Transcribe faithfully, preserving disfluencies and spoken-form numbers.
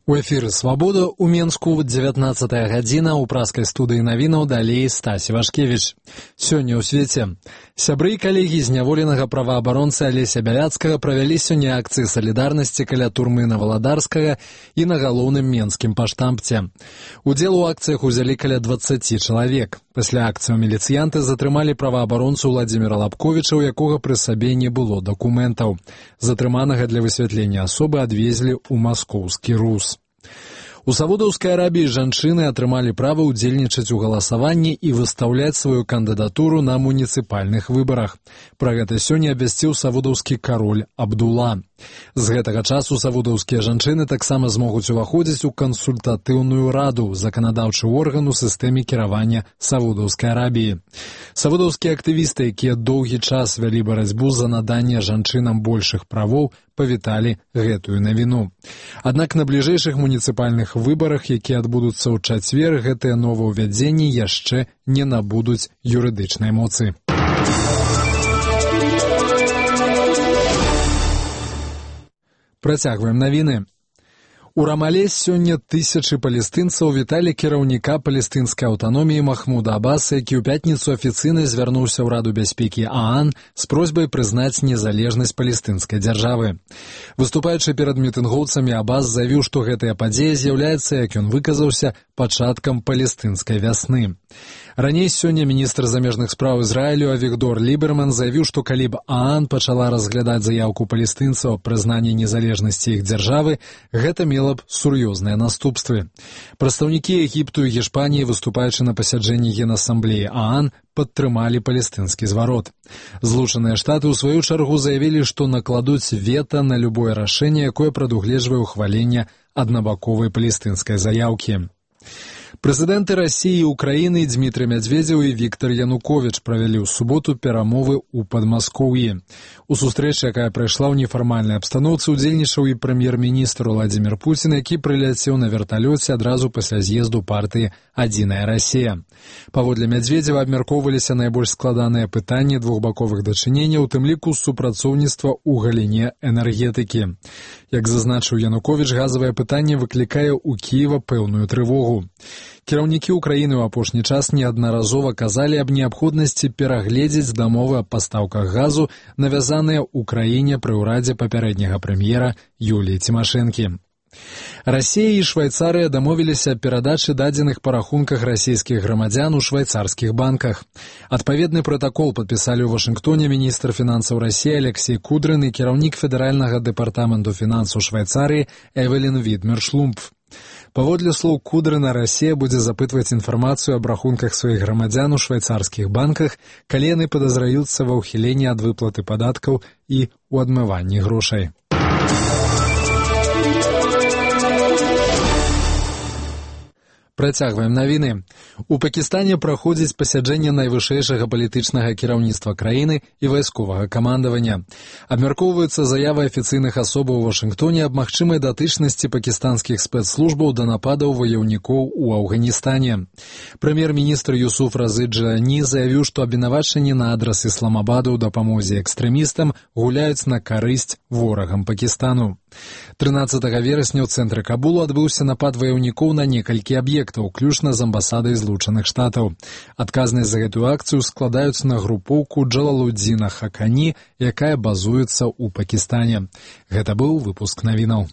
У эфіры «Свабода» ў Менску дзевятнаццатая гадзіна, ў праскай студыі навінаў далей Стась Івашкевіч. Сёння ў свеце. Сябры і калегі зняволенага праваабаронцы Алеся Бяляцкага правялі сёння акцыі салідарнасці каля турмы на Валадарскага і на галоўным менскім паштампце. Удзел у акцыях узялі каля дваццаці чалавек. Пасля акцыяў міліцыянты затрымалі праваабаронцу Владзіміра Лабковіча, у якога пры сабе не было дакументаў. Затрыманага для высвятлення асобы адвезлі ў маскоўскі РУС. У Саудаўскай Арабіі жанчыны атрымалі права ўдзельнічаць у галасаванні і выстаўляць сваю кандыдатуру на муніцыпальных выбарах. Пра гэта сёння абвясціў саудаўскі кароль Абдула. З гэтага часу саудаўскія жанчыны таксама змогуць уваходзіць у кансультатыўную раду, заканадаўчы орган у сістэме кіравання Саудаўскай Арабіі. Саудаўскія актывісты, якія доўгі час вялі барацьбу за наданне жанчынам большых правоў, павіталі гэтую навіну. Аднак на бліжэйшых муніцыпальных выбарах, якія адбудуцца ў чацвер, гэтыя новаўвядзенні яшчэ не набудуць юрыдычнай моцы. Працягваем навіны. У Рамале сёння тысячы палестынцаў віталі кіраўніка палестынскай аўтаноміі Махмуда Аббаса, які ў пятніцу афіцыйна звярнуўся ў Раду бяспекі ААН з просьбай прызнаць незалежнасць палестынскай дзяржавы. Выступаючы перад мітынгоўцамі, Аббас заявіў, што гэтая падзея з'яўляецца, як ён выказаўся, пачаткам палестынскай вясны. Раней сёння міністр замежных спраў Ізраілю Авігдор Ліберман заявіў, што калі б ААН пачала разглядаць заяўку палестынцаў аб прызнанні незалежнасці іх дзяржавы, гэта мела б сур'ёзныя наступствы. Прадстаўнікі Егіпту і Гішпаніі, выступаючы на пасяджэнні Генасамблеі ААН, падтрымалі палестынскі зварот. Злучаныя Штаты ў сваю чаргу заявілі, што накладуць вета на любое рашэнне, якое прадугледжвае ўхваленне аднабаковай палестынскай заяўкі. Прэзідэнты Расіі і Украіны Дмітрый Мядзведзеў і Віктор Януковіч правялі ў суботу перамовы ў Падмаскоўі. У сустрэчы, якая прайшла ў нефармальнай абстаноўцы, удзельнічаў і прэм'ер-міністр Владзімір Пуцін, які прыляцеў на верталёце адразу пасля з'езду партыі «Адзіная Расія». Паводле Мядзведзева абмяркоўваліся найбольш складаныя пытанні двухбаковых дачыненняў, у тым ліку супрацоўніцтва ў галіне энергетыкі. Як зазначыў Януковіч, газавае пытанне выклікае ў Кіева пэўную трывогу. Кіраўнікі ўкраіны ў апошні час неаднаразова казалі аб неабходнасці перагледзець дамовы аб пастаўках газу, навязаныя ў краіне пры ўрадзе папярэдняга прэм'ера Юліі Цімашэнкі. Расія і Швайцарыя дамовіліся аб перадачы дадзеных па рахунках расійскіх грамадзян у швайцарскіх банках. Адпаведны пратакол падпісалі ў Вашынгтоне міністр фінансаў Расіі Алексей Кудрын і кіраўнік федэральнага дэпартаменту фінансаў Швайцарыі Эвелін Відмер-Шлумпф. Паводле слоў Кудрына, Расія будзе запытваць інфармацыю аб рахунках сваіх грамадзян у швайцарскіх банках, калі яны падазраюцца ва ўхіленні ад выплаты падаткаў і ў адмыванні грошай. Працягваем навіны. У Пакістане праходзіць пасяджэнне найвышэйшага палітычнага кіраўніцтва краіны і вайсковага камандавання. Абмяркоўваюцца заявы афіцыйных асобаў у Вашынгтоне аб магчымай датычнасці пакістанскіх спецслужбаў да нападаў ваяўнікоў у Афганістане. Прэм'ер-міністр Юсуф Разы Джані заявіў, што абвінавачанні на адрас Ісламабада ў дапамозе экстрэмістам гуляюць на карысць ворагам Пакістану. трынаццатага верасня ў цэнтры Кабулу адбыўся напад ваяўнікоў на некалькі аб'ектаў, уключна з амбасадай Злучаных Штатаў. Адказнасць за гэтую акцыю складаюць на групоўку Джалалудзіна Хакані, якая базуецца ў Пакістане. Гэта быў выпуск навінаў.